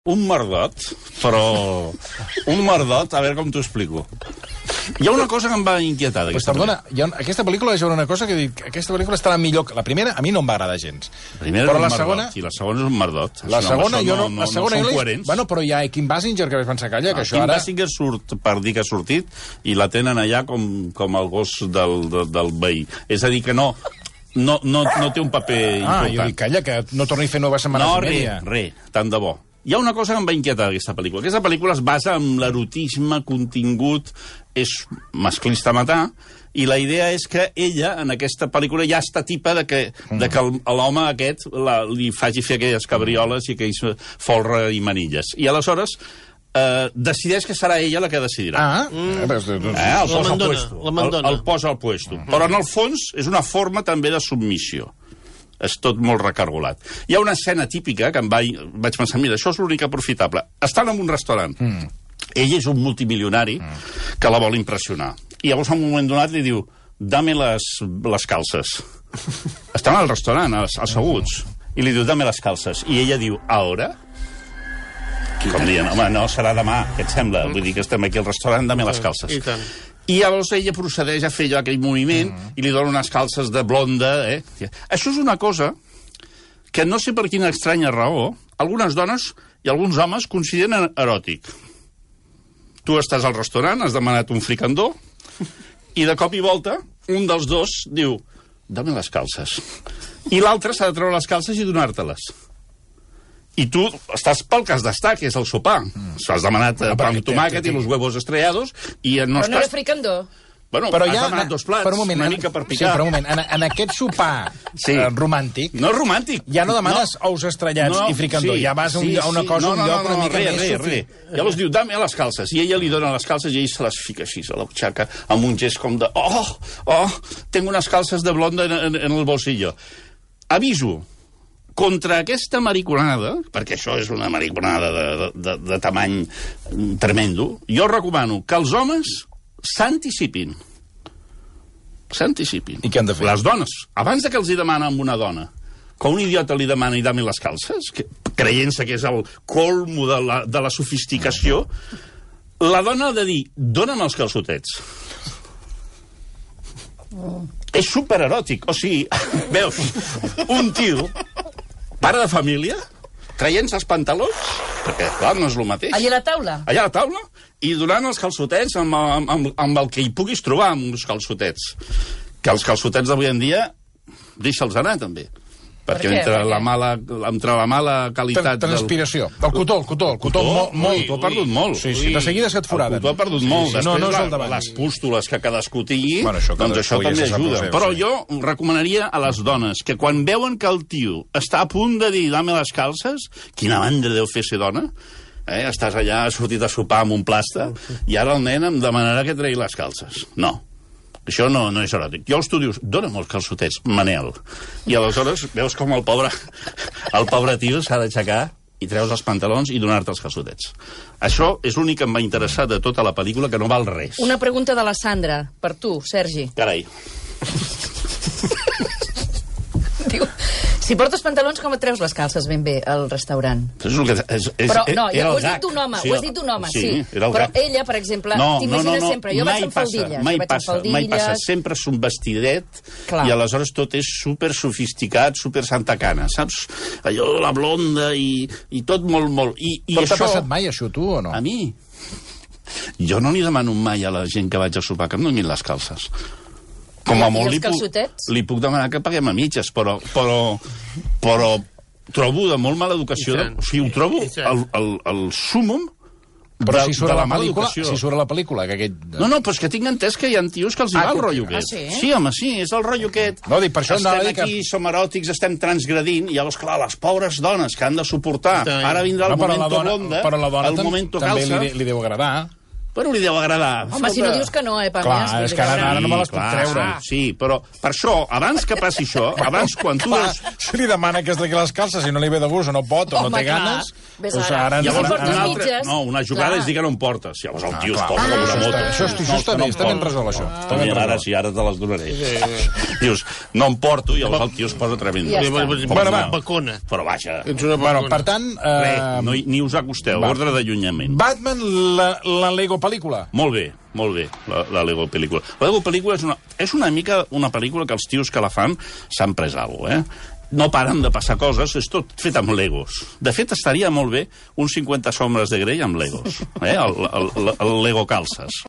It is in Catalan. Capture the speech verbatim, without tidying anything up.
un merdot, però... Un merdot, a veure com t'ho explico. Hi ha una cosa que em va inquietar d'aquesta pues, perdona, hi ha, aquesta pel·lícula és una cosa que dic, aquesta pel·lícula estarà millor que... La primera a mi no em va agradar gens. La primera però és un la merdot, segona... i la segona és un merdot. La segona, jo no, no, la segona no són jo coherents. Bueno, però hi ha Kim Basinger, que vaig pensar, calla, que no, això Kim ara... Kim Basinger surt per dir que ha sortit i la tenen allà com, com el gos del, del, del veí. És a dir, que no... No, no, no té un paper ah, important. Ah, jo dic, calla, que no torni a fer noves setmanes no, i media. No, res, res, tant de bo. Hi ha una cosa que em va inquietar d'aquesta pel·lícula. Aquesta pel·lícula es basa en l'erotisme, contingut, és masclista a matar, i la idea és que ella, en aquesta pel·lícula, ja està tipa de que, mm. de que l'home aquest la, li faci fer aquelles cabrioles i aquells folre i manilles. I aleshores... Uh, decideix que serà ella la que decidirà. Ah, mm. eh, el posa al puesto. El, el posa al puesto. Mm. Però en el fons és una forma també de submissió. És tot molt recargolat. Hi ha una escena típica que em va, vaig pensar, mira, això és l'únic aprofitable. Estan en un restaurant. Mm. Ell és un multimilionari mm. que la vol impressionar. I llavors, en un moment donat, li diu, dame les, les calces. Estan al restaurant, asseguts. I li diu, dame les calces. I ella diu, ahora? Com dient, home, no, serà demà, què et sembla? Vull dir que estem aquí al restaurant, dame les calces. I tant. I llavors ella procedeix a fer allò, aquell moviment, mm. i li dona unes calces de blonda, eh? Això és una cosa que no sé per quina estranya raó, algunes dones i alguns homes consideren eròtic. Tu estàs al restaurant, has demanat un fricandó, i de cop i volta, un dels dos diu, dame les calces. I l'altre s'ha de treure les calces i donar-te-les. I tu estàs pel que has d'estar, que és el sopar. Mm. Has demanat eh, pa amb tomàquet i los huevos estrellados i no però estàs... no era fricandó. Bueno, però has ja, demanat dos plats, per un moment, una en, mica per picar. Sí, per un moment. En, en aquest sopar sí. eh, romàntic... No és romàntic. Ja no demanes no. ous estrellats no, i fricandó. Sí, ja vas a, un, sí, a una cosa, sí. no, no, un lloc no, no, una mica res, més... Res, res. Llavors diu, dame les calces. I ella li dona les calces i ell se les fica així a la butxaca amb un gest com de... Oh, oh, tengo unes calces de blonda en, en, en el bolsillo. Aviso, contra aquesta mariconada, perquè això és una mariconada de, de, de, de tamany tremendo, jo recomano que els homes s'anticipin. S'anticipin. I què han de fer? Les dones, abans de que els hi demana amb una dona, que un idiota li demani dame les calces, que, creient-se que és el colmo de la, de la sofisticació, la dona ha de dir, dona'm els calçotets. Oh. És supereròtic. O sigui, veus, un tio, pare de família, traient-se els pantalons, perquè, clar, no és el mateix. Allà a la taula? Allà a la taula, i donant els calçotets amb, amb, amb, amb el que hi puguis trobar, amb uns calçotets. Que els calçotets d'avui en dia, deixa'ls anar, també. Perquè per entre, per la mala, entre la mala qualitat... Transpiració. Del... El cotó, el cotó, el cotó, molt, molt. El cotó ha perdut molt. Sí, sí, de seguida se't foraden. El cotó ha perdut molt. Sí, sí. No, no és el davant. Les pústules que cadascú tingui, bueno, això, doncs això també ajuda. Seu, Però sí. jo recomanaria a les dones que quan veuen que el tio està a punt de dir dame les calces, quina mandra deu fer ser dona, eh? Estàs allà, has sortit a sopar amb un plasta, i ara el nen em demanarà que tregui les calces. No. Això no, no és eròtic. Llavors tu dius, dona'm els calçotets, Manel. I aleshores veus com el pobre, el pobre tio s'ha d'aixecar i treus els pantalons i donar-te els calçotets. Això és l'únic que em va interessar de tota la pel·lícula, que no val res. Una pregunta de la Sandra, per tu, Sergi. Carai. Diu, si portes pantalons, com et treus les calces ben bé al restaurant? És el que, és, és, però no, ja ho has dit un home, sí, ho has dit un home, sí. sí. Però gag. Ella, per exemple, no, t'imagines no, no, no, sempre, jo vaig amb faldilles. Mai vaig passa, amb mai passa. Sempre és un vestidet clar. I aleshores tot és super sofisticat, super santa cana, saps? Allò, la blonda i, i tot molt, molt... I, i però això... t'ha passat mai això, tu, o no? A mi? Jo no li demano mai a la gent que vaig a sopar que em donin les calces. Com a molt li puc, li puc demanar que paguem a mitges, però, però, però trobo de molt mala educació. De, o sigui, ho trobo el, el, el súmum però de, si surt de la, la mala pel·lícula, educació. Si surt a la pel·lícula, que aquest... No, no, però és que tinc entès que hi ha tios que els hi ah, va el rotllo ah, aquest. sí? Sí, home, sí, és el rotllo aquest. No, dic, per això estem aquí, que... som eròtics, estem transgredint, i llavors, clar, les pobres dones que han de suportar, ara vindrà el no, momento dona, blonda, però la dona el momento també calça... li, li deu agradar. però li deu agradar. Home, si no dius que no, eh, Pàmies? Clar, és que ara, ara no me les puc treure. Sí, però per això, abans que passi això, abans quan tu... Clar, si li demana que es tregui les calces, si no li ve de gust o no pot o Home, no té clar. ganes... Ves doncs ara. ara... Llavors, Si portes una altra, mitges, no, una jugada clar. és dir que no em portes. Llavors el tio es clar. posa com una Això moto. està- això està- això està bé, està ben resolt, això. Està ben Mira, ara resolt. sí, ara te les donaré. Dius, no em porto, i llavors el tio es posa tremendo. Ja està. Bueno, va. Bacona. Però vaja, Ets una Bueno, bacona. per tant... Eh, no, hi- ni us acosteu, va. ordre d'allunyament. Batman, la, la Lego pel·lícula. Molt bé, molt bé, la, la Lego pel·lícula. La Lego pel·lícula és una, és una mica una pel·lícula que els tios que la fan s'han pres alguna cosa, eh? No paren de passar coses, és tot fet amb Legos. De fet, estaria molt bé uns cinquanta sombres de Grey amb Legos, eh? el, el, el, el Lego calces.